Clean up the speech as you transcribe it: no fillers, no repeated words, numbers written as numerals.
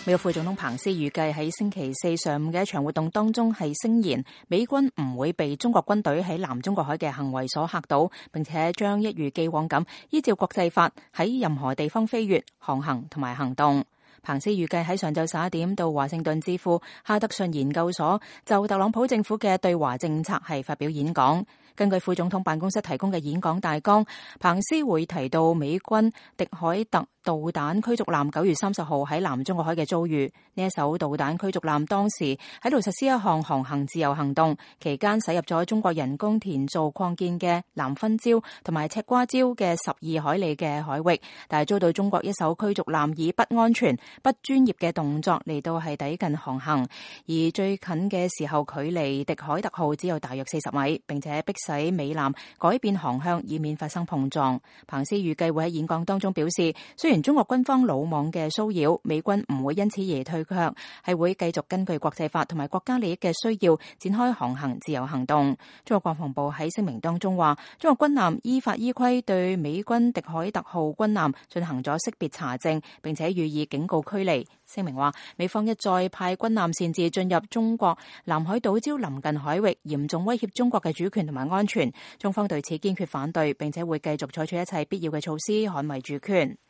美國副總統彭斯預計喺星期四上午嘅一場活動當中係聲言，美軍唔會被中國軍隊喺南中國海嘅行為所嚇到，並且將一如既往咁依照國際法喺任何地方飛越、航行同埋行動。彭斯預計喺上晝11點到華盛頓智庫哈德遜研究所就特朗普政府嘅對華政策係發表演講。根據副總統辦公室提供嘅演講大綱，彭斯會提到美軍迪凱特導彈驅逐艦9月30號喺南中國海嘅遭遇。呢一艘導彈驅逐艦當時喺度實施一項航行自由行動，期間駛入咗中國人工填造擴建嘅南薰礁同埋赤瓜礁嘅12海里嘅海域，但係遭到中國一艘驅逐艦以不安全、不專業嘅動作嚟到係抵近航行，而最近嘅時候距離迪凱特號只有大約40米，並且迫使美艦改變航向，以免發生碰撞。彭斯預計會喺演講當中表示，雖然中國軍方魯莽嘅騷擾，美軍唔會因此而退卻，係會繼續根據國際法同埋國家利益嘅需要展開航行自由行動。中國國防部喺聲明當中話，中國軍艦依法依規對美軍迪凱特號軍艦進行咗識別查證，並且予以警告驅離。聲明話，美方一再派軍艦擅自進入中國南海島礁臨近海域，嚴重威脅中國嘅主權同埋安全。中方對此堅決反對，並且會繼續採取一切必要嘅措施捍衛主權。